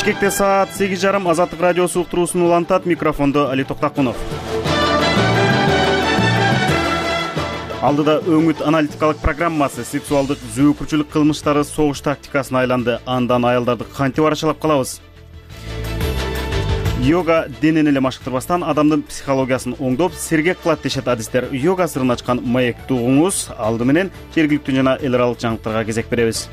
Бишкекте саат 8:30 Азаттык радиосу уктуруусун улантат. Микрофондо Али Токтакунов. Алдыда өңүт аналитикалык программасы сексуалдык зөөкүрчүлүк кылмыштары согуш тактикасына айланды. Андан аялдарды кантип арашалап калабыз? Йога денени эле машыктырбастан адамдын психологиясын оңдоп, сергек кылат дешет адистер. Йога сырын ачкан маекти угуңуз. Алды менен жергиликтүү жана эл аралык жаңылыктарга кезек беребиз.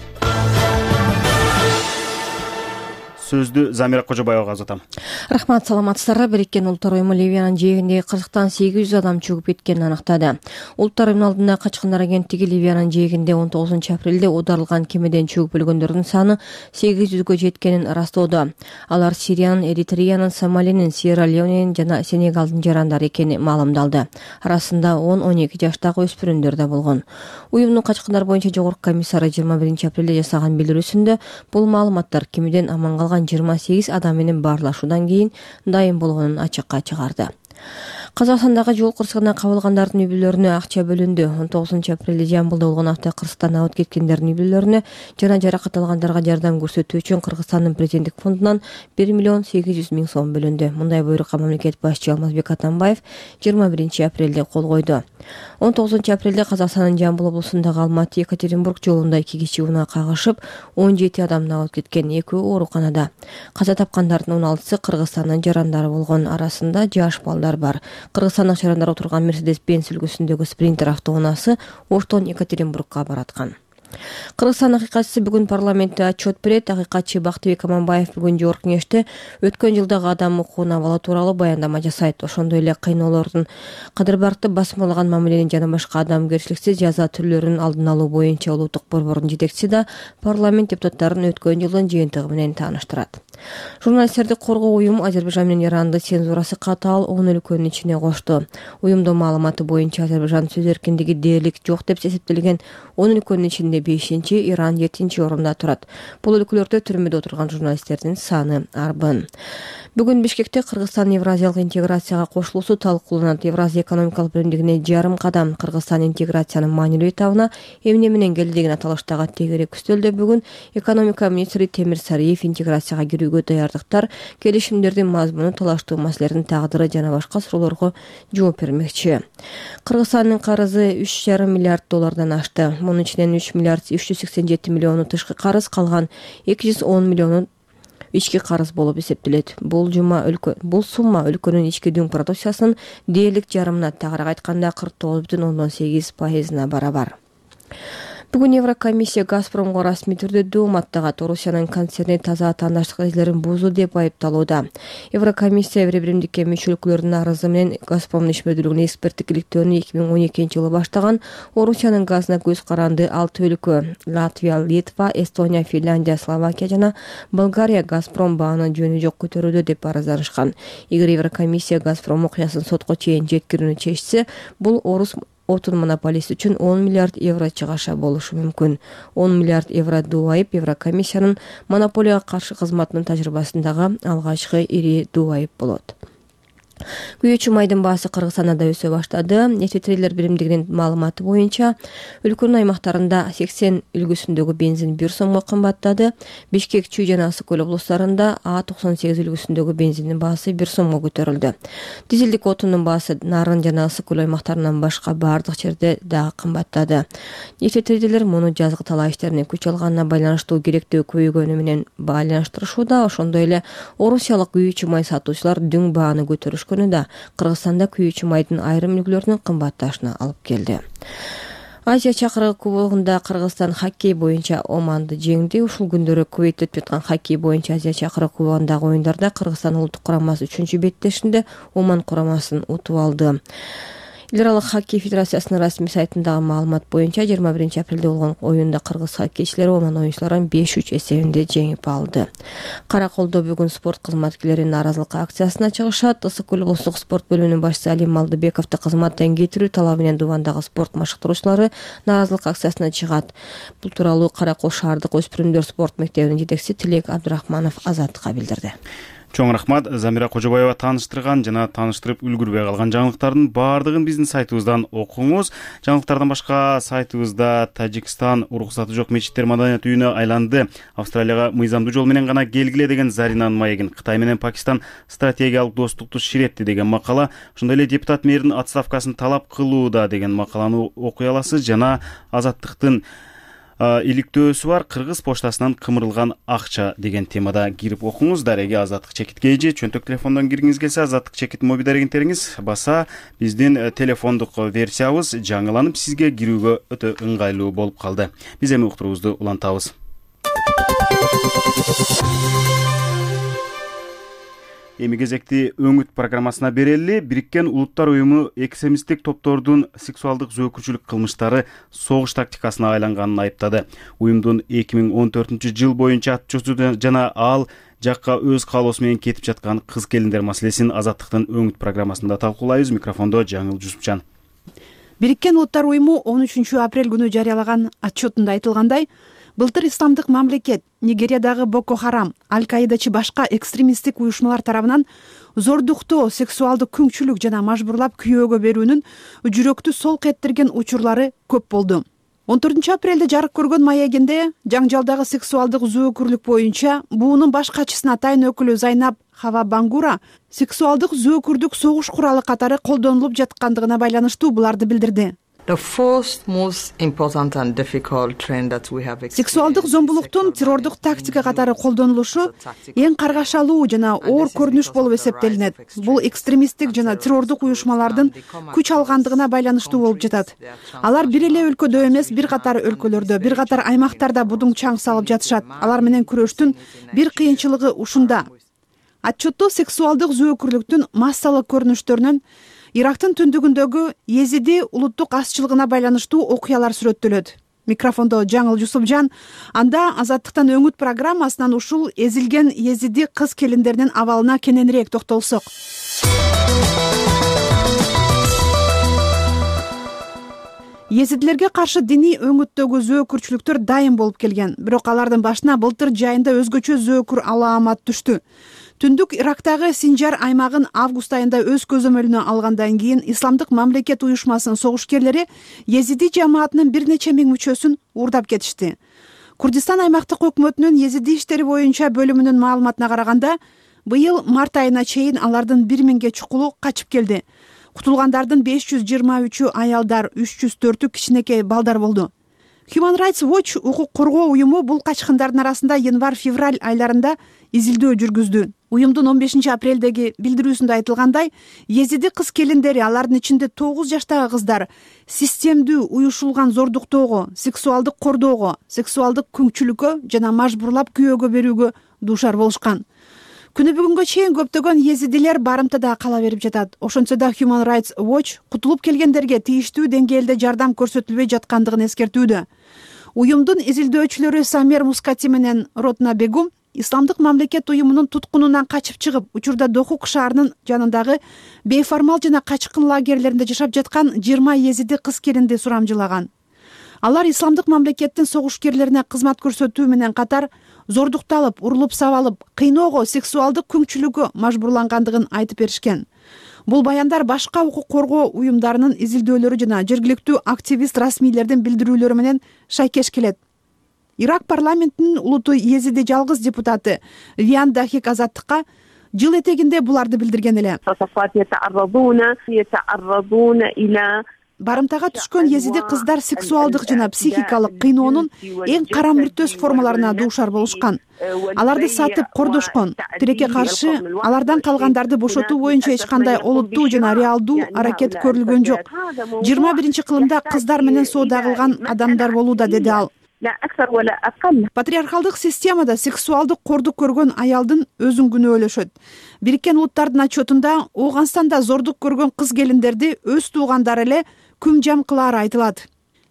Сөздү Замира Кожобаева азатам. Рахмат, саламатсыздарбы. Бириккен Улуттар уюму Ливиянын жээгиндеги кырсыктан 800 адам чөгүп кеткенин анықтады. Улуттар уюмунун алдында качкындар агенттиги Ливиянын жээгинде 19 апрелде оодарылган кемеден чөгүп өлгөндөрдүн саны 800гө жеткенин ырастоодо. Алар Сириянын, Эритреянын, Сомалинин, Сьерра-Леоненин жана Сенегалдын жарандары экени маалымдалды. Арасында 10-12 жаштагы өспүрүмдөр да болгон. Уюмдун качкындар боюнча жогорку комиссары 21 апрелде жасаган билдирүүсүндө бул маалыматтар кемеден аман калган 28 адам менен баарлашуудан кийин дайым болгонун ачыкка чыгарды. Казакстандагы жол кырсыгына кабылгандардын үй-бүлөлөрүнө акча бөлүндү. 19 апрелде Жамбылда болгон автокырсыктан абыт кеткендердин үй-бүлөлөрүнө жана жаракат алгандарга жардам көрсөтүү үчүн Кыргызстандын президенттик фондунан 1 миллион 800 миң сом бөлүндү. Мындай буйрукка мамлекет башчы Алмазбек Атамбаев 21 апрелде кол койду. 19 апрелде Казакстандын Жамбыл облусундагы Алматы-Екатеринбург жолунда 2 кичи унаа кагышып, 17 адам абыт кеткен, 2 ооруканада. Каза тапкандардын 16сы Кыргызстандын жарандары болгон. Арасында жаш балдар бар. Кыргызстандык жарандар отурган Мерседес-Бенц үлгүсүндөгү спринтер автоунаасы Оштон Екатеринбургка бараткан. Кыргызстан акыйкатчысы бүгүн парламентте отчет берет. Акыйкатчы Бактыбек Аманбаев бүгүн жогорку кеңеште өткөн жылдагы адам укугун абалы тууралуу баяндама жасайт. Ошондой эле кыйноолордун кадырбаркты басмалаган мамиленин жана башка адамгерчиликсиз жаза түрлөрүнүн алдын алуу боюнча улуттук борбордун жетекчиси да парламент депутаттарын өткөн жылдын жыйынтыгы менен тааныштырат. Журналисттерди коргоо уюму Азербайжан менен Иранды цензурасы катаал 10 өлкөнүн ичине кошту. Уюмдун маалыматы боюнча Азербайжан сөз эркиндиги дээрлик жок деп эсептелген 10 өлкөнүн ичинде 5-чи, Иран 7-чи орунда турат. Бул өлкөлөрдө түрмөдө отурган журналисттердин саны арбын. Бүгүн Бишкекте Кыргызстан Евразиялык интеграцияга кошулуусу талкууланат. Евразия экономикалык биримдигине жарым кадам. Кыргызстан интеграциянын маанилүү этабына эмне менен келди деген аталыштагы тегерек үстөлдө бүгүн экономика министри Темир Сариев интеграцияга кирүүгө даярдыктар, келишимдердин мазмуну, талаштуу маселелердин тагдыры жана башка суроолорго жооп бермекчи. Кыргызстандын карызы 3,5 миллиард доллардан ашты. Мунун ичинен 3 миллиард 387 миллиону тышкы карыз, калган 210 миллиону ички карыз болуп эсептелет. Бул сумма өлкөнүн ички дүң продукциясынын дээрлик жарымына, тагыраак айтканда 49,8%-на барабар. Бүгүн Еврокомиссия Газпромго расмий түрдө дөм аттагат. Орусиянын концерни таза атаандаштык эрежелерин бузду деп айыпталууда. Еврокомиссия биримдикке мүчө өлкөлөрдүн арызы менен Газпромдун ишмердүүлүгүнө эксперттик иликтөөнү 2012-жылы баштаган Орусиянын газына көз каранды 6 өлкө — Латвия, Литва, Эстония, Финляндия, Словакия жана Болгария Газпром бааны жөнү жок көтөрүүдө деп арызданышкан. Эгер Еврокомиссия Газпром окуясын сотко чейин жеткирүүнү чечсе, бул орус отун монополисти үчүн 10 миллиард евро чыгаша болушу мүмкүн. 10 миллиард евро дубайып Еврокомиссиянын монополияга каршы кызматынын тажрыйбасындагы алгачкы ири дубайып болот. Күйүүчү майдын баасы Кыргызстанда да өсө баштады. Нефтетрейдер биримдигинин маалыматы боюнча өлкөнүн аймактарында 80 үлгүсүндөгү бензин 1 сомго кымбаттады. Бишкек, Чүй жана Ысык көл облустарында А98 үлгүсүндөгү бензиндин баасы 1 сомго көтөрүлдү. Дизелдик отундун баасы Нарын жана Ысык көл аймактарынан башка бардык жерде дагы кымбаттады. Нефтетрейдерлер муну жазгы талаа иштерине күч алганына байланыштуу керектөө көбөйгөнү менен байланыштырышууда. Ошондой эле орусиялык күйүүчү май сатуучулар дүң бааны көтөрүшкөн да Кыргызстанда күйүүчү майдын айрым үлгүлөрүнүн кымбатташына алып келди. Азия чакырыгы кубогунда Кыргызстан хоккей боюнча Оманды жеңди. Ушул күндөрү Кувейтте өтүп аткан хоккей боюнча Азия чакырыгы кубогундагы оюндарда Кыргызстан улуттук курамасы 3-чү беттешинде Оман курамасын утуп алды. Эл аралык хоккей федерациясынын расмий сайтындагы маалымат боюнча 21 апрелде болгон оюнда кыргыз хоккейчилери Оман оюнчуларын 5-3 эсебинде жеңип алды. Караколдо бүгүн спорт кызматкерлери нааразылык акциясына чыгышат. Ысык көл облустук спорт бөлүмүнүн башчысы Алим Малдыбековду кызматтан кетирүү талабы менен Дубандагы спорт машыктыруучулары нааразылык акциясына чыгат. Бул тууралуу Каракол шаардык өспүрүмдөр спорт мектебинин жетекчиси Тилек Абдырахманов Азаттыкка билдирди. Чоң рахмат. Замира Кожобаева тааныштырган жана тааныштырып үлгүрбөй калган жаңылыктардын баардыгын биздин сайтыбыздан окуңуз. Жаңылыктардан башка сайтыбызда Тажикстан уруксаты жок мечиттер маданият үйүнө айланды. Австралияга мыйзамдуу жол менен гана келгиле деген Заринанын маегин, Кытай менен Пакистан стратегиялык достукту ширетти деген макала, ошондой эле депутат мэрдин отставкасын талап кылууда деген макаланы окуй аласыз жана Азаттыктын иликтөөсү бар Кыргыз поштасынан кымырылган акча деген темада кирип окуңуз. Дареги Азаттык чекитке же чөнтөк телефондон киргиңиз келсе, Азаттык чекит моби дарегинтериңиз баса биздин телефондук версиябыз жаңыланып сизге кирүүгө өтө ыңгайлуу болуп калды. Биз эми уктуруубузду улантабыз. Эми кезекти өңүт программасына берели. Бириккен Улуттар уюму экстремисттик топтордун сексуалдык зөөкүрчүлүк кылмыштары согуш тактикасына айланганын айыптады. Уюмдун 2014-жыл боюнча атчусу жана ал жакка өз каалоосу менен кетип жаткан кыз келиндер маселесин Азаттыктын өңүт программасында талкуулайбыз. Микрофондо Жаңыл Жусупчан. Бириккен Улуттар уюму 13 апрель күнү жарыялаган отчетунда айтылгандай, былтыр исламдык мамлекет, Нигериядагы Боко Харам, Аль-Каидачы башка экстремисттик уюшмалар тарабынан зордуктоо, сексуалдык күңчүлүк жана мажбурлап күйөөгө берүүнүн жүрөктү солк эттерген учурлары көп болду. 14 апрелде жарык көргөн маегинде жаңжалдагы сексуалдык зөөкүрлүк боюнча буунун баш катчысына атайын өкүлү Зайнаб Хава Бангура сексуалдык зөөкүрдүк согуш куралы катары колдонулуп жаткандыгына байланыштуу буларды билдирди. Сексуалдык зомбулуктун террордук тактика катары колдонулушу эң каргашалуу жана оор көрүнүш болуп эсептелинет. Бул экстремисттик жана террордук уюшмалардын күч алгандыгына байланыштуу болуп жатат. Алар бир эле өлкөдө эмес, бир катар өлкөлөрдө, бир катар аймактарда будуң чаң салып жатышат. Алар менен күрөштүн бир кыйынчылыгы ушунда. Отчетто сексуалдык зөөкүрлүктүн массалык көрүнүштөрүнөн Ирактын түндүгүндөгү Езиди улуттук азчылыгына байланыштуу окуялар сүрөттөлөт. Микрофондо Жаңыл Жусупжан. Анда Азаттыктан өңүт программасынан ушул эзилген Езиди кыз келиндеринин абалына кененирээк токтолсок. Езидилерге каршы диний өңүттөгү зөөкүрчүлүктөр дайым болуп келген. Бирок алардын башына былтыр жайында өзгөчө зөөкүр алаамат түштү. Түндүк Ирактагы Синжар аймагын август айында өз көзөмөлүнө алгандан кийин Исламдык мамлекет уюшмасынын согушкерлери Езиди жамаатынын бир нече миң мүчөсүн уурдап кетишти. Курдистан аймактык өкмөтүнүн Езиди иштери боюнча бөлүмүнүн маалыматына караганда, быйыл март айына чейин алардын 1000ге чукулу качып келди. Кутулгандардын 523 аялдар, 304 кичинекей балдар болду. Human Rights Watch укук коргоо уюму бул качкындардын арасында январь-февраль айларында изилдөө жүргүздү. Уюмдун 15 апрелдеги билдирүүсүндө айтылгандай, Езиди кыз келиндери, алардын ичинде 9 жаштагы кыздар системдүү уюшулган зордуктоого, сексуалдык кордоого, сексуалдык күңчүлүккө жана мажбурлап күйөөгө берүүгө дуушар болушкан. Күнү бүгүнгө чейин көптөгөн езидилер барымтада кала берип жатат. Ошентсе да Human Rights Watch кутулуп келгендерге тийиштүү деңгээлде жардам көрсөтүлбөй жаткандыгын эскертүүдө. Уюмдун изилдөөчүлөрү Самер Мускати менен Ротна Бегум Исламдык мамлекет уюмунун туткунунан качып чыгып, учурда Дохук шаарынын жанындагы бейформал жана качкын лагерлеринде жашап жаткан 20 езиди кыз келинди сурамжылаган. Алар Исламдык мамлекеттин согушкерлерине кызмат көрсөтүү менен катар зордукталып, урулуп сабалып, кыйноого, сексуалдык күңчүлүккө мажбурлангандыгын айтып беришкен. Бул баяндар башка укук коргоо уюмдарынын изилдөөлөрү жана жергиликтүү активист расмийлердин билдирүүлөрү менен шайкеш келет. Ирак парламентинин улуту Езиди жалгыз депутаты Виан Дахик Азаттыкка жыл этегинде буларды билдирген эле. Барымтага түшкөн езиди кыздар сексуалдык жана психикалык кыйноонун эң кара мүртөс формаларына дуушар болушкан. Аларды сатып кордошкон. Тилекке каршы алардан калгандарды бошотуу боюнча эч кандай олуттуу жана реалдуу аракет көрүлгөн жок. 21-кылымда кыздар менен соода кылган адамдар болууда, деди ал. Патриархалдык системада сексуалдык кордук көргөн аялдын өзүн күнөөлөшөт. Бириккен Улуттардын отчетунда Ооганстанда зордук көргөн кыз келиндерди өз туугандары эле күм жам кылаары айтылат.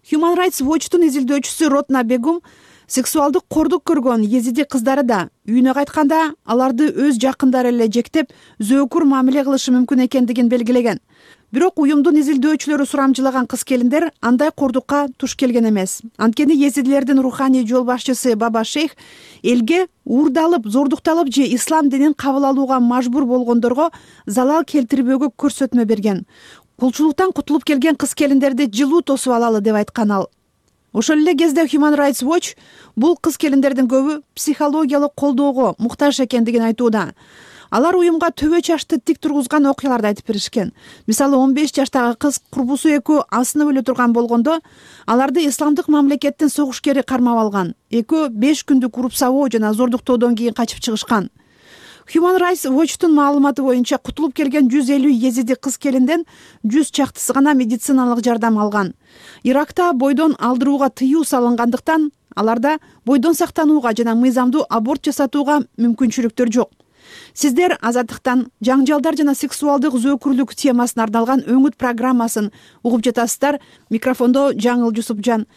Human Rights Watch'тун изилдөөчүсү Ротна Бегум Сексуалдык кордук көргөн езиди кыздары да үйүнө кайтканда аларды өз жакындары эле жектеп, зөөкүр мамиле кылышы мүмкүн экендигин белгилеген. Бирок уюмдун изилдөөчүлөрү сурамжылаган кыз-келиндер андай кордукка туш келген эмес. Анткени езидилердин руханий жол башчысы Баба Шейх элге уурдалып, зордукталып же ислам динин кабыл алууга мажбур болгондорго залал келтирбөөгө көрсөтмө берген. Кулчулуктан кутулуп келген кыз-келиндерди жылуу тосуп алалы деп айткан ал. Ошол эле кезде Human Rights Watch бул кыз-келиндердин көбү психологиялык колдоого муктаж экендигин айтууда. Алар уюмга төбө чашты тик тургузган окуяларды айтып беришкен. Мисалы 15 жаштагы кыз курбусу экөө асынып өлө турган болгондо аларды исламдык мамлекеттин согушкери кармап алган. Экөө 5 күндүк уруп сабоо жана зордуктоодон кийин качып чыгышкан. Human Rights Watchtун маалыматы боюнча кутулуп келген 150 езиди кыз-келинден 100 чактысы гана медициналык жардам алган. Иракта бойдон алдырууга тыюу салынгандыктан аларда бойдон сактанууга жана мыйзамдуу аборт жасатууга мүмкүнчүлүктөр жок. Сиздер азаттыктан жаңжалдар жана сексуалдык зөөкүрлүк темасына арналган өңүт программасын угуп жатасыздар. Микрофондо Жаңыл Жусупжан.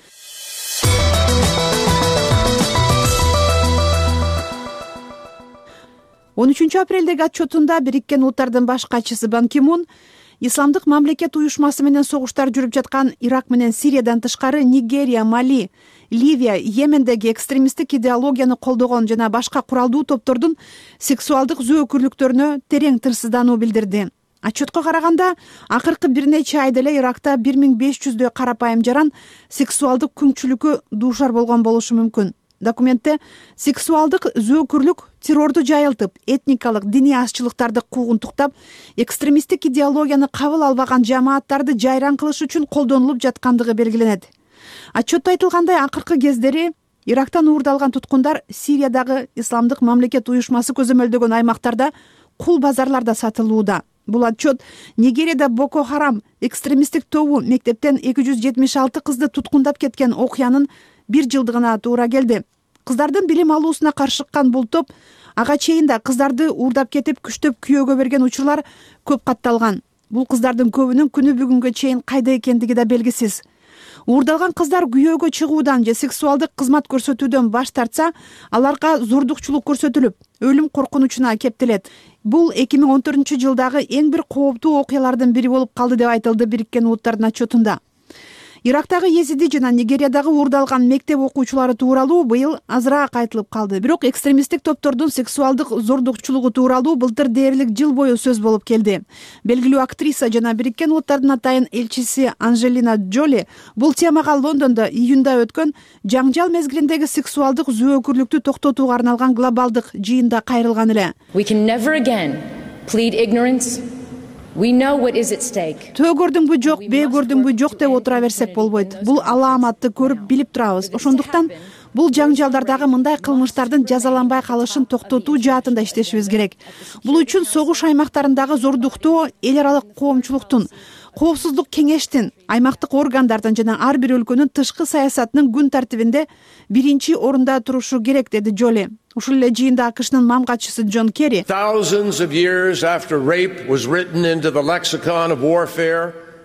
13 апрелдеги отчетунда Бириккен Улуттардын баш катчысы Бан Ки Мун исламдык мамлекет уюшмасы менен согуштар жүрүп жаткан Ирак менен Сириядан тышкары Нигерия, Мали, Ливия, Йемендеги экстремисттик идеологияны колдогон жана башка куралдуу топтордун сексуалдык зөөкүрлүктөрүнө терең тырсыздануу билдирди. Отчетко караганда, акыркы бир нече айда эле Иракта 1500дөй карапайым жаран сексуалдык күңчүлүккө дуушар болгон болушу мүмкүн. Документте сексуалдык зөөкүрлүк террорду жайылтып, этникалык, диний азчылыктарды куугунтуктап, экстремисттик идеологияны кабыл албаган жамааттарды жайран кылыш үчүн колдонулуп жаткандыгы белгиленет. Отчетто айтылгандай, акыркы кездери Ирактан уурдалган туткундар Сириядагы исламдык мамлекет уюшмасы көзөмөлдөгөн аймактарда кул базарларда сатылууда. Бул отчет Нигерияда Боко Харам экстремисттик тобу мектептен 276 кызды туткундап кеткен окуянын 1 жылдыгына туура келди. Кыздардын билим алуусуна каршы чыккан бул топ ага чейин да кыздарды уурдап кетип, күчтөп күйөөгө берген учурлар көп катталган. Бул кыздардын көбүнүн күнү бүгүнгө чейин кайда экендиги да белгисиз. Уурдалган кыздар күйөөгө чыгуудан же сексуалдык кызмат көрсөтүүдөн баш тартса, аларга зордукчулук көрсөтүлүп, өлүм коркунучуна кептелет. Бул 2014-жылдагы эң бир кооптуу окуялардын бири болуп калды деп айтылды Бириккен Улуттардын отчетунда. Ирактагы езиди жана Нигериядагы уурдалган мектеп окуучулары тууралуу быйыл азыраак айтылып калды. Бирок экстремисттик топтордун сексуалдык зордукчулугу тууралуу былтыр дээрлик жыл бою сөз болуп келди. Белгилүү актриса жана Бириккен Улуттардын атайын элчиси Анжелина Джоли бул темага Лондондо июнда өткөн жаңжал мезгилиндеги сексуалдык зөөкүрлүктү токтотууга арналган глобалдык жыйында кайрылган эле. Төө көрдүңбү жок, бээ көрдүңбү жок деп отура берсек болбойт. Бул алааматты көрүп билип турабыз. Ошондуктан бул жаңжалдардагы мындай кылмыштардын жазаланбай калышын токтотуу жаатында иштешибиз керек. Бул үчүн согуш аймактарындагы зордуктоо эл аралык коомчулуктун, коопсуздук кеңештин, аймактык органдардын жана ар бир өлкөнүн тышкы саясатынын күн тартибинде биринчи орунда турушу керек, деди Джоли. Ушул эле жыйында АКШнын мам катчысы Джон Керри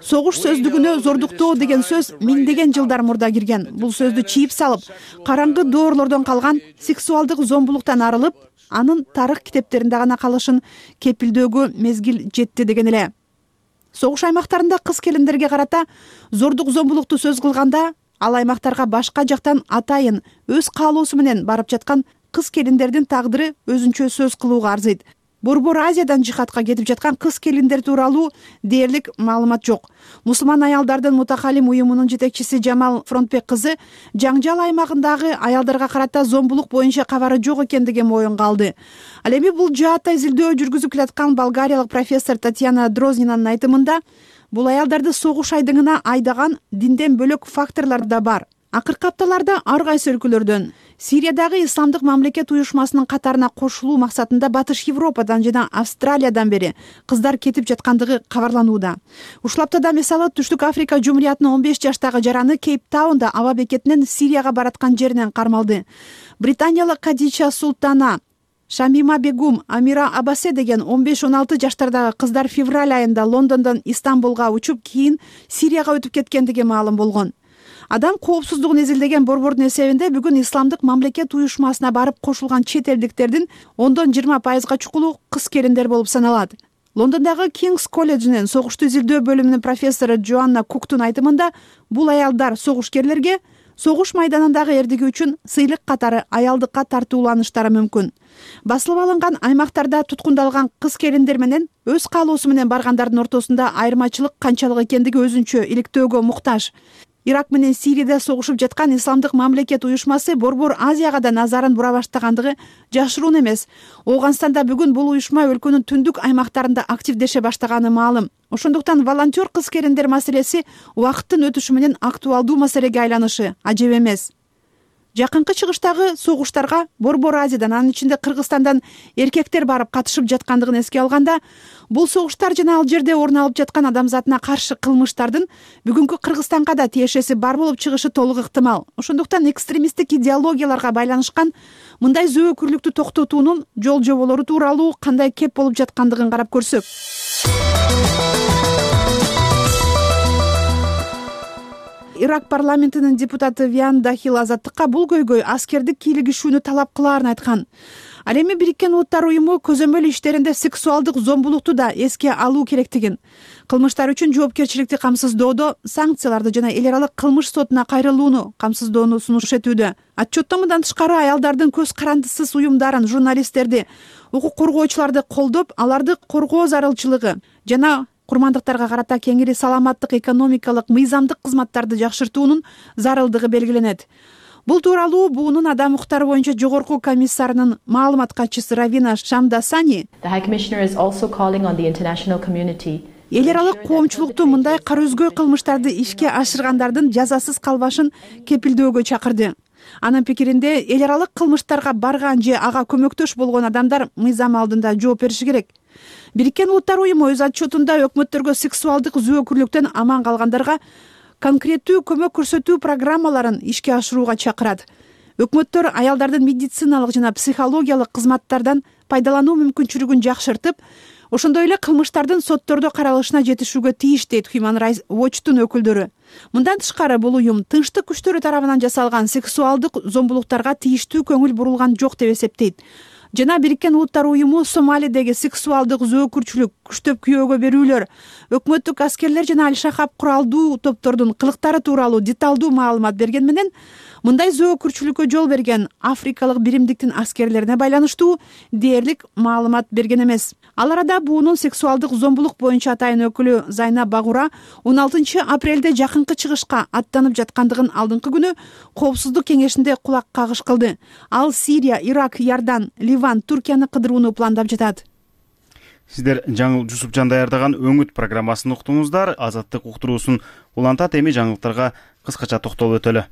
согуш сөздүгүнө зордуктоо деген сөз миңдеген жылдар мурда кирген. Бул сөздү чийип салып, караңгы доорлордон калган сексуалдык зомбулуктан арылып, анын тарых китептеринде гана калышын кепилдөөгө мезгил жетти деген эле. Согуш аймактарында кыз-келиндерге карата зордук зомбулукту сөз кылганда, ал аймактарга башка жактан атайын өз каалоосу менен барып жаткан кыз-келиндердин тагдыры өзүнчө сөз кылууга арзыйт. Борбор Азиядан жихадка кетип жаткан кыз-келиндер тууралуу дээрлик маалымат жок. Мусулман аялдардын мутакалим уюмунун жетекчиси Жамал Фронтбек кызы жаңжал аймагындагы аялдарга карата зомбулук боюнча кабары жок экендигин моюнга алды. Ал эми бул жаатта изилдөө жүргүзүп келаткан болгариялык профессор Татьяна Дрознинанын айтымында, бул аялдарды согуш айдыңына айдаган динден бөлөк факторлор да бар. Акыркы апталарда ар кайсы өлкөлөрдөн Сириядагы исламдык мамлекет уюшмасынын катарына кошулуу максатында Батыш Европадан жана Австралиядан бери кыздар кетип жаткандыгы кабарланууда. Ушул аптада мисалы Түштүк Африка Жумуриятынын 15 жаштагы жараны Кейптаунда аба бекетинен Сирияга бараткан жеринен кармалды. Британиялык Кадича Султана, Шамима Бегум, Амира Абасе деген 15-16 жаштардагы кыздар февраль айында Лондондон Истанбулга учуп, кийин Сирияга өтүп кеткендиги маалым болгон. Адам коопсуздугун изилдеген борбордун эсебинде бүгүн исламдык мамлекет уюшмасына барып кошулган чет элдиктердин 10-20% чукулу кыз келиндер болуп саналат. Лондондогу Кингс колледжинин согушту изилдөө бөлүмүнүн профессору Джоанна Куктун айтымында, бул аялдар согушкерлерге согуш майданындагы эрдиги үчүн сыйлык катары аялдыкка тартууланыштары мүмкүн. Басылып алынган аймактарда туткундалган кыз келиндер менен өз каалоосу менен баргандардын ортосунда айырмачылык канчалык экендиги өзүнчө иликтөөгө муктаж. Ирак менен Сирияда согушуп жаткан исламдык мамлекет уюшмасы Борбор Азияга да назарын бура баштагандыгы жашыруун эмес. Ооганстанда бүгүн бул уюшма өлкөнүн түндүк аймактарында активдеше баштаганы маалым. Ошондуктан волонтер кыз келиндер маселеси убакыттын өтүшү менен актуалдуу маселеге айланышы ажеп эмес. Жакынкы чыгыштагы согуштарга Борбор Азиядан, анын ичинде Кыргызстандан эркектер барып катышып жаткандыгын эске алганда, бул согуштар жана ал жерде орун алып жаткан адамзатына каршы кылмыштардын бүгүнкү Кыргызстанга да тиешеси бар болуп чыгышы толук ыктымал. Ошондуктан экстремисттик идеологияларга байланышкан мындай зөөкүрлүктү токтотуунун жол жоболору тууралуу кандай кеп болуп жаткандыгын карап көрсөк. Ирак парламентинин депутаты Виан Дахил Азаттыкка бул көйгөй аскердик кийлигишүүнү талап кылаарын айткан. Ал эми Бириккен Улуттар уюму көзөмөл иштеринде сексуалдык зомбулукту да эске алуу керектигин, кылмыштар үчүн жоопкерчиликти камсыздоодо санкцияларды жана эл аралык кылмыш сотуна кайрылууну камсыздоону сунуш этүүдө. Отчетто мындан тышкары аялдардын көз карандысыз уюмдарын, журналисттерди, укук коргоочуларды колдоп, аларды коргоо зарылчылыгы жана курмандыктарга карата кеңири саламаттык экономикалык мыйзамдык кызматтарды жакшыртуунун зарылдыгы белгиленет. Бул тууралуу буунун адам укуктары боюнча жогорку комиссарынын маалымат катчысы Равина Шамдасани эл аралык коомчулукту мындай кара өзгөй кылмыштарды ишке ашыргандардын жазасыз калбашын кепилдөөгө чакырды. Анын пикиринде, эл аралык кылмыштарга барган же ага көмөктөш болгон адамдар мыйзам алдында жооп бериши керек. Бириккен Улуттар уюму өз отчетунда өкмөттөргө сексуалдык зөөкүрлүктөн аман калгандарга конкреттүү көмөк көрсөтүү программаларын ишке ашырууга чакырат. Өкмөттөр аялдардын медициналык жана психологиялык кызматтардан пайдалануу мүмкүнчүлүгүн жакшыртып, ошондой эле кылмыштардын соттордо каралышына жетишүүгө тийиш, дейт Human Rights Watch'тун өкүлдөрү. Мындан тышкары бул уюм тынчтык күчтөрү тарабынан жасалган сексуалдык зомбулуктарга тийиштүү көңүл бурулган жок деп эсептейт. Жана Бириккен Улуттар уюму Сомалидеги сексуалдык зөөкүрчүлүк, күчтөп күйөөгө берүүлөр, өкмөттүк аскерлер жана Аль-Шахаб куралдуу топтордун кылыктары тууралуу деталдуу маалымат берген менен, мындай зөөкүрчүлүккө жол берген африкалык биримдиктин аскерлерине байланыштуу дээрлик маалымат берген эмес. Ал арада буунун сексуалдык зомбулук боюнча атайын өкүлү Зайна Багура 16 апрелде жакынкы чыгышка аттанып жаткандыгын алдыңкы күнү Коопсуздук кеңешинде кулак кагыш кылды. Ал Сирия, Ирак, Иордан, Ливан, Туркияны кыдырууну пландап жатат. Сиздер Жаңыл Жусупжан даярдаган Өңүт программасын уктуңуздар. Азаттык уктуруусун улантат, эми жаңылыктарга кыскача токтолуп өтөлү.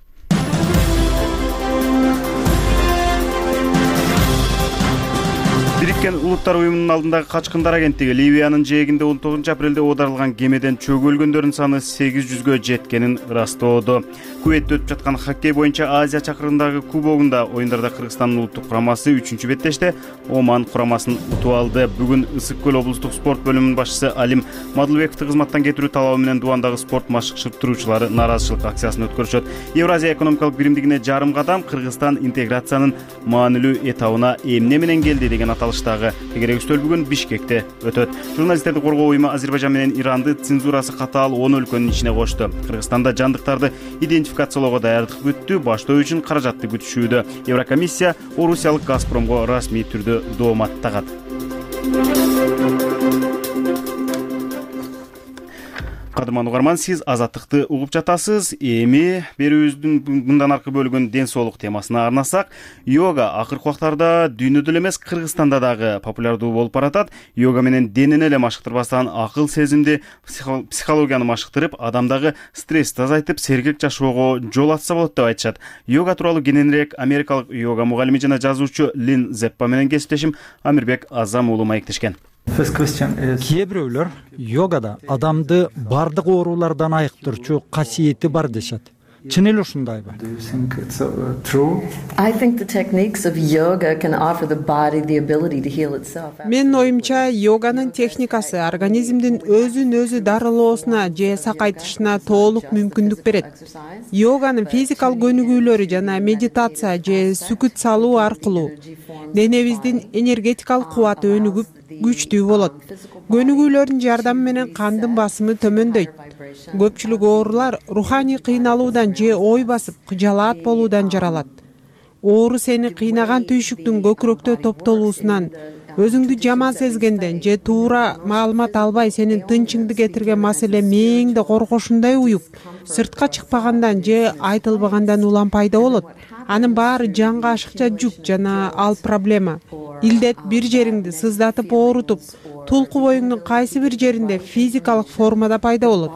Бириккен Улуттар уюмунун алдындагы качкындар агенттиги Ливиянын жээгинде 19 апрелде оодарылган кемеден чөгүлгөндөрдүн саны 800гө жеткенин ырастоодо. Куветте өтүп жаткан хоккей боюнча Азия чакырындагы кубогунда оюндарда Кыргызстандын улуттук курамасы 3-чү беттеште Оман курамасын утуп алды. Бүгүн Ысык көл облустук спорт бөлүмүнүн башчысы Алим Мадылбековду кызматтан кетирүү талабы менен Дубандагы спорт машыктыруучулары нааразычылык акциясын өткөрүшөт. Евразия экономикалык биримдигине жарым кадам, Кыргызстан интеграциянын маанилүү этабына эмне менен келди деген аталыштагы тегерек бүгүн Бишкекте өтөт. Журналисттерди коргоо уюму Азербайжан менен Иранды цензурасы катаал 10 өлкөнүн ичине кошту. Кыргызстанда жандыктарды идентификациялоого даярдык бүттү, баштоо үчүн каражатты күтүшүүдө. Еврокомиссия Орусиялык Газпромго расмий түрдө доомат тагат. Кадырман угарман, сиз Азаттыкты угуп жатасыз. Эми берүүбүздүн мындан аркы бөлүгүн ден соолук темасына арнасак, йога акыркы убактарда дүйнөдө эле эмес, Кыргызстанда дагы популярдуу болуп баратат. Йога менен денени эле машыктырбастан акыл сезимди, психологияны машыктырып, адамдагы стрессти азайтып, сергек жашоого жол ачса болот деп айтышат. Йога тууралуу кененирээк америкалык йога мугалими жана жазуучу Лин Зеппа менен кесиптешим Амирбек Азам уулу маектешкен. Кээ бирөөлөр йогада адамды бардык оорулардан айыктырчу касиети бар дешет. чын эле ушундайбы? Do you think it's true? I think the techniques of yoga can offer the body the ability to heal itself. Менин оюмча, йоганын техникасы организмдин өзүн өзү дарылоосуна же сакайтышына толук мүмкүндүк берет. Йоганын физикалык көнүгүүлөрү жана медитация же сүкүт салуу аркылуу денебиздин энергетикалык кубаты өнүгүп, күчтүү болот. Көнүгүүлөрдүн жардамы менен кандын басымы төмөндөйт. Көпчүлүк оорулар руханий кыйналуудан же ой басып, кыжалаат болуудан жаралат. Оору сени кыйнаган түйшүктүн көкүрөктө топтолуусунан, өзүңдү жаман сезгенден же туура маалымат албай сенин тынчыңды кетирген маселе мээңде коргошундай уюп, сыртка чыкпагандан же айтылбагандан улам пайда болот. Анын баары жанга ашыкча жүк жана ал проблема. Илдет бир жериңди сыздатып оорутуп, тулку боюңдун кайсы бир жеринде физикалык формада пайда болот.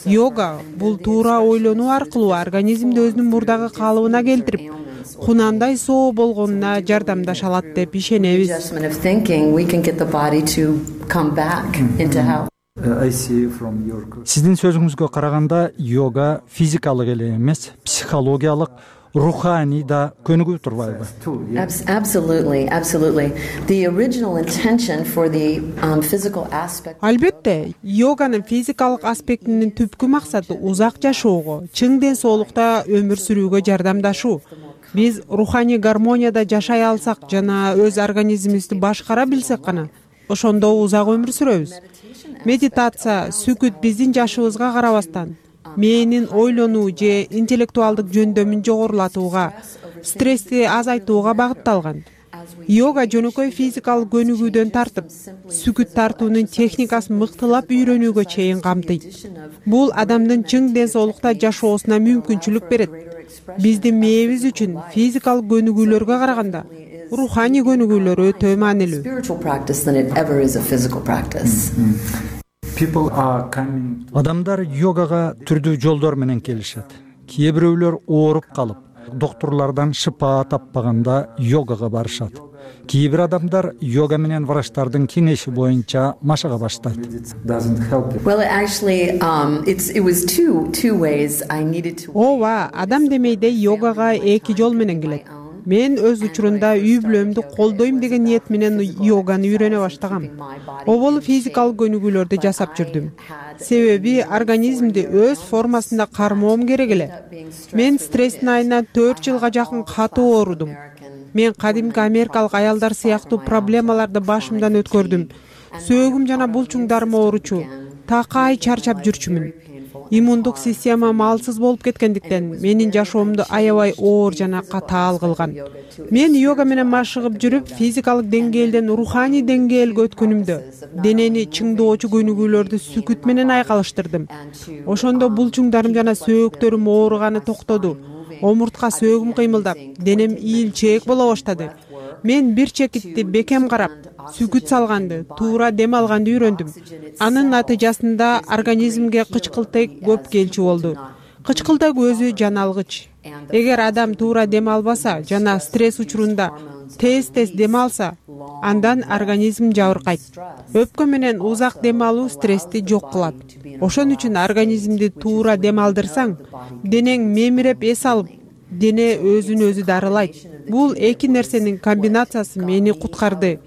Йога бул туура ойлонуу аркылуу организмди өзүнүн мурдагы калыбына келтирип, кунандай соо болгонуна жардамдаша алат деп ишенебиз. Adjustment of thinking, we can get the body to come back into health. I see from your Сиздин сөзүңүзгө караганда йога физикалык эле эмес, психологиялык, руханий да көнүгүү турбайбы? too. Yeah. Absolutely, absolutely. The original intention for the physical aspect. Албетте, йоганын физикалык аспектинин түпкү максаты узак жашоого, чың ден соолукта өмүр сүрүүгө жардамдашуу. Биз руханий гармонияда жашай алсак жана өз организмибизди башкара билсек гана, ошондо узак өмүр сүрөбүз. Медитация, сүкүт биздин жашыбызга карабастан мээнин ойлонуу же интеллектуалдык жөндөмүн жогорулатууга, стрессти азайтууга багытталган. Йога жөнөкөй физикалык көнүгүүдөн тартып, сүкүт тартуунун техникасын мыктылап үйрөнүүгө чейин камтыйт. Бул адамдын чың ден соолукта жашоосуна мүмкүнчүлүк берет. Биздин мээбиз үчүн физикалык көнүгүүлөргө караганда руханий көнүгүүлөр өтө маанилүү. Spiritual practice than it ever is a physical practice. People are coming to Адамдар йогага түрдүү жолдор менен келишет. Кээ бирөөлөр ооруп калып, доктурлардан шыпа таппаганда йогага барышат. Кээ бир адамдар йога менен врачтардын кеңеши боюнча машыга баштайт. it doesn't help you. Well, actually, it was two ways I needed to. Ооба, адам демейде йогага эки жол менен келет. Мен өз учурунда үй бүлөмдү колдойм деген ниет менен йоганы үйрөнө баштагам. Обол физикалык көнүгүүлөрдү жасап жүрдүм. Себеби организмди өз формасында кармоом керек эле. Мен стресстин айынан 4 жылга жакын катуу оорудум. Мен кадимки америкалык аялдар сыяктуу проблемаларды башымдан өткөрдүм. Сөөгүм жана булчуңдарым ооручу. Такай чарчап жүрчүмүн. Иммундук системам алсыз болуп кеткендиктен менин жашоомду аябай оор жана катаал кылган. Мен йога менен машыгып жүрүп, физикалык деңгээлден руханий деңгээлге өткөнүмдө денени чыңдоочу көнүгүүлөрдү сүкүт менен айкалыштырдым. Ошондо булчуңдарым жана сөөктөрүм ооруганы токтоду. Омуртка сөөгүм кыймылдап, денем ийилчээк боло баштады. Мен бир чекитти бекем карап, сүкүт салганды, туура дем алганды үйрөндүм. Анын натыйжасында организмге кычкылтек көп келчү болду. Кычкылтек өзү жаналгыч. Эгер адам туура дем албаса жана стресс учурунда тез дем алса, андан организм жабыркайт. Өпкө менен узак дем алуу стрессти жок кылат. Ошон үчүн организмди туура дем алдырсаң, денең мемиреп эс алып, дене өзүн өзү дарылайт. Бул эки нерсенин комбинациясы мени куткарды.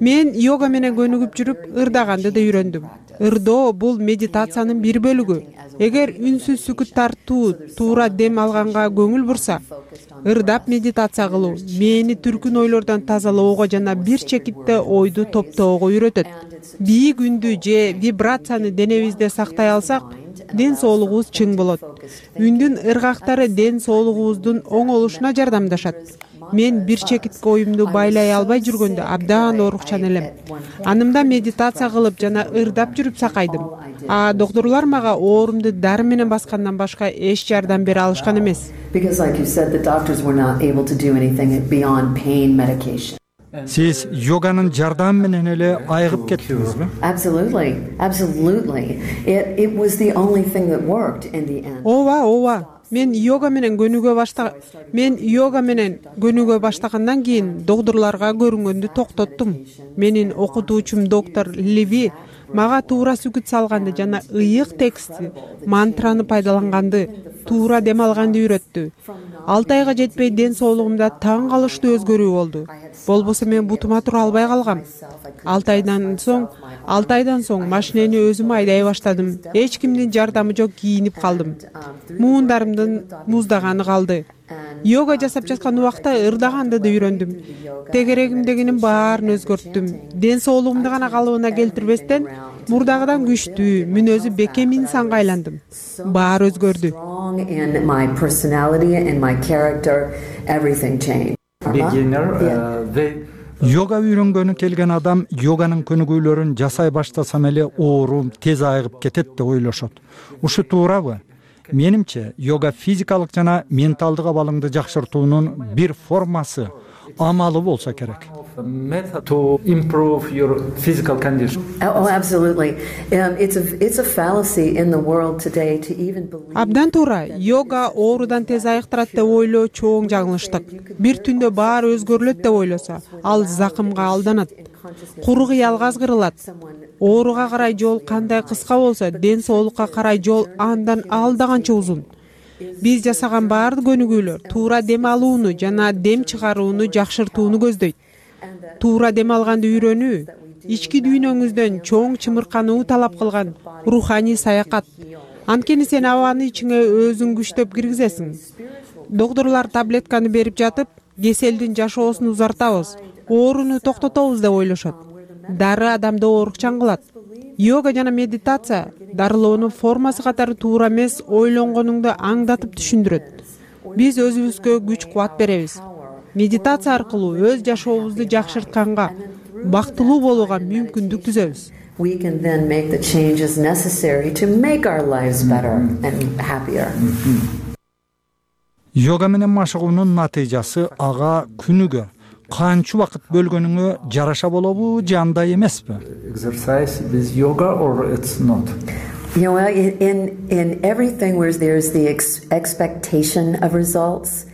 Мен йога менен көнүгүп жүрүп, ырдаганды да үйрөндүм. Ырдоо бул медитациянын бир бөлүгү. Эгер үнсүз сүкүт тартуу, туура дем алганга көңүл бурса, ырдап медитация кылуу мени түркүн ойлордон тазалоого жана бир чекитте ойду топтоого үйрөтөт. Бийик үндү же вибрацияны денебизде сактай алсак, ден соолугубуз чың болот. Үндүн ыргактары ден соолугубуздун оңолушуна жардамдашат. Мен бир чекитке оюмду байлай албай жүргөндө абдан оорукчан элем. Анымда медитация кылып жана ырдап жүрүп сакайдым. Доктурлар мага оорумду дары менен баскандан башка эч жардам бере алышкан эмес. Because, like you said, the doctors were not able to do anything beyond pain medication. Сиз йоганын жардамы менен эле айыгып кеттиңизби? Absolutely, absolutely. It was the only thing that worked in the end. Ооба. Мен йога менен көнүгө баштагандан кийин доктурларга көрүнгөндү токтоттум. Менин окутуучум доктор Леви мага туура сүгүт салганды жана ыйык текстти, мантраны пайдаланганды, туура дем алганды үйрөттү. 6 айга жетпей ден соолугумда таң калыштуу өзгөрүү болду. Болбосо мен бутума тура албай калгам. 6 айдан соң машинени өзүм айдай баштадым. Эч кимдин жардамы жок кийинип калдым. Муундарымдын муздаганы калды. Йога жасап жаткан убакта ырдаганды да үйрөндүм. Тегерегимдегинин баарын өзгөрттүм. Ден соолугумду гана калыбына келтирбестен, мурдагыдан күчтүү, мүнөзү бекем инсанга айландым. Баары өзгөрдү. Йога үйрөнгөнү келген адам йоганын көнүгүүлөрүн жасай баштасам эле оорум тез айыгып кетет деп ойлошот. Ушу туурабы? Менимче, йога физикалык жана менталдык абалыңды жакшыртуунун бир формасы, амалы болсо керек. To improve your physical condition. Oh, absolutely. It's a fallacy in the world today to even believe. Абдан туура. Йога оорудан тез айыктырат деп ойлоо чоң жаңылыштык. Бир түндө баары өзгөрүлөт деп ойлосо, ал закымга алданат. Куру кыялга азгырылат. Ооруга карай жол кандай кыска болсо, ден соолукка карай жол андан алда канча узун. Биз жасаган баардык көнүгүүлөр туура дем алууну жана дем чыгарууну жакшыртууну көздөйт. Туура дем алганды үйрөнүү, ички дүйнөңүздөн чоң чымыркануу талап кылган руханий саякат. Анткени сен абаны ичиңе өзүң күчтөп киргизесиң. Доктурлар таблетканы берип жатып, кеселдин жашоосун узартабыз, ооруну токтотобуз деп ойлошот. Дары адамды оорукчан кылат. Йога жана медитация дарылоонун формасы катары туура эмес ойлонгонуңду аңдатып түшүндүрөт. Биз өзүбүзгө күч кубат беребиз. Медитация аркылуу өз жашообузду жакшыртканга, бактылуу болууга мүмкүндүк түзөбүз. We can then make the changes necessary to make our lives better and happier. Йога менен машыгуунун натыйжасы ага күнүгө канча убакыт бөлгөнүңө жараша болобу же андай эмеспи? Exercise with yoga or it's not? You know, in everything where there's the expectation of results.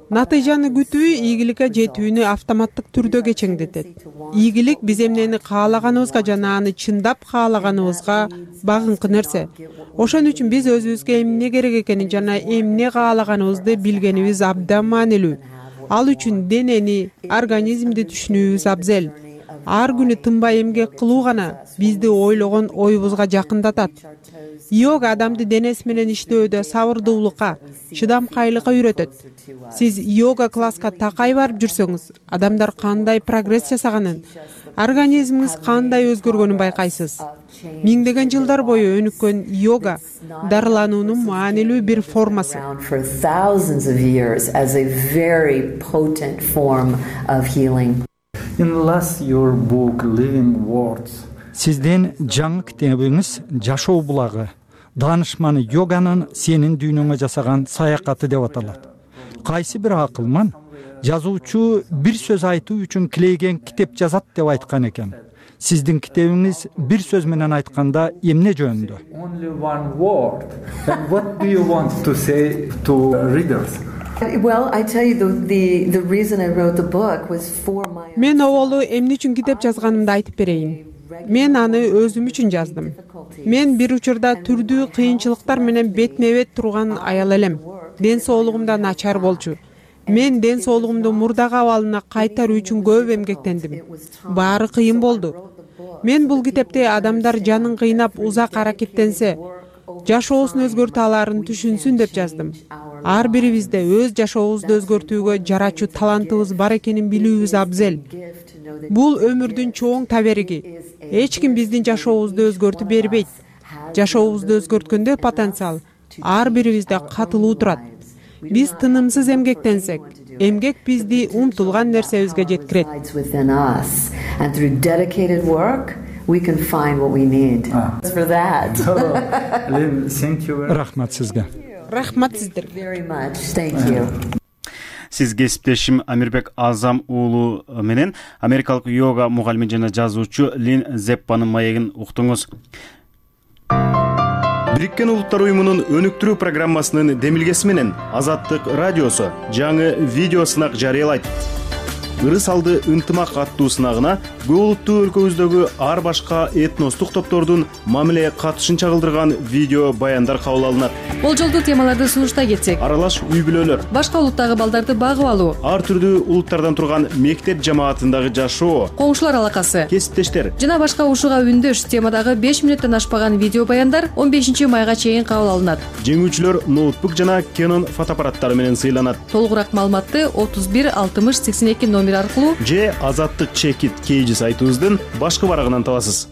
Натыйжаны күтүү ийгиликке жетүүнү автоматтык түрдө кечеңдетет. Ийгилик биз эмнени каалаганыбызга жана аны чындап каалаганыбызга багынкы нерсе. Ошон үчүн биз өзүбүзгө эмне керек экенин жана эмне каалаганыбызды билгенибиз абдан маанилүү. Ал үчүн денени, организмди түшүнүүбүз абзел. Ар күнү тынбай эмгек кылуу гана бизди ойлогон оюбузга жакындатат. Йога адамды денеси менен иштөөдө сабырдуулукка, чыдамкайлыкка үйрөтөт. Сиз йога класска такай барып жүрсөңүз, адамдар кандай прогресс жасаганын, организмиңиз кандай өзгөргөнүн байкайсыз. Миңдеген жылдар бою өнүккөн йога дарылануунун маанилүү бир формасы. In last your book Living Words. Сиздин жаңы китебиңиз Жашоо булагы, даанышманы йоганын сенин дүйнөңө жасаган саякаты деп аталат. Кайсы бир акылман жазуучу бир сөз айтуу үчүн килейген китеп жазат деп айткан экен. Сиздин китебиңиз бир сөз менен айтканда эмне жөнүндө? Only one word. And what do you want to say to readers? Well, I tell you the reason I wrote the book was for my. Мен оболу эмне үчүн китеп жазганымды айтып берейин. Мен аны өзүм үчүн жаздым. Мен бир учурда түрдүү кыйынчылыктар менен бетме-бет турган аял элем. Ден соолугумда начар болчу. Мен ден соолугумду мурдагы абалына кайтаруу үчүн көп эмгектендим. Баары кыйын болду. Мен бул китепте адамдар жанын кыйнап узак аракеттенсе, жашоосун өзгөртө аларын түшүнсүн деп жаздым. Ар бирибизде өз жашообузду өзгөртүүгө жарачуу талантыбыз бар экенин билүүбүз абзел. Бул өмүрдүн чоң табериги. Эч ким биздин жашообузду өзгөртүп бербейт. Жашообузду өзгөрткөндө потенциал ар бирибизде катылуу турат. Биз тынымсыз эмгектенсек, эмгек бизди умтулган нерсебизге жеткирет. And through dedicated work, we can find what we need. For that. Lynn, thank you. Рахмат сизге. Рахмат сиздерге. Very much. Thank you. Сиз кесиптешим Амирбек Азам уулу менен америкалык йога мугалими жана жазуучу Лин Зеппанын маегин уктуңуз. Бириккен Улуттар уюмунун өнүктүрүү программасынын демилгеси менен Азаттык радиосу жаңы видео сынак жарыялайт. ырыс алды ынтымак аттуу сынагына көп улуттуу өлкөбүздөгү ар башка этностук топтордун мамиле катышын чагылдырган видео баяндар кабыл алынат. Болжолдуу темаларды сунуштай кетсек: аралаш үй бүлөлөр, башка улуттагы балдарды багып алуу, ар түрдүү улуттардан турган мектеп жамаатындагы жашоо, коңшулар алакасы, кесиптештер жана башка ушуга үндөш темадагы 5 мүнөттөн ашпаган видео баяндар 15 майга чейин кабыл алынат. Жеңүүчүлөр ноутбук жана Canon фотоаппараттары менен сыйланат. Толугураак маалыматты 31 60 82 номер аркылуу же Азаттык Чекит KG сайтыбыздын башкы барагынан табасыз.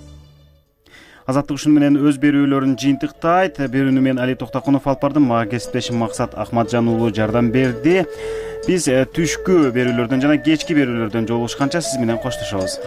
Азаттык ушуну менен өз берүүлөрүн жыйынтыктайт. Берүүнү мен Али Токтокунов алып бардым. Мага кесиптешим Максат Ахматжан уулу жардам берди. Биз түшкү берүүлөрдөн жана кечки берүүлөрдөн жолугушканча сиз менен коштошобуз.